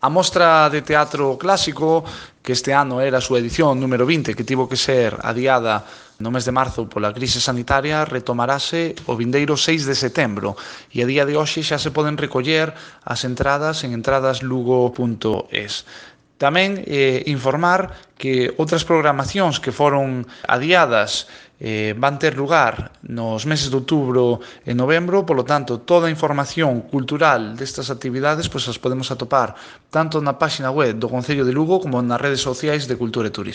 A Mostra de Teatro Clásico, que este ano era a súa edición número 20, que tivo que ser adiada no mes de marzo pola crise sanitaria, retomarase o vindeiro 6 de setembro e a día de hoxe xa se poden recoller as entradas en entradaslugo.es. Tamén informar que outras programacións que foron adiadas van ter lugar nos meses de outubro e novembro, polo tanto, toda a información cultural destas actividades as podemos atopar tanto na páxina web do Concello de Lugo como nas redes sociais de Cultura e Turismo.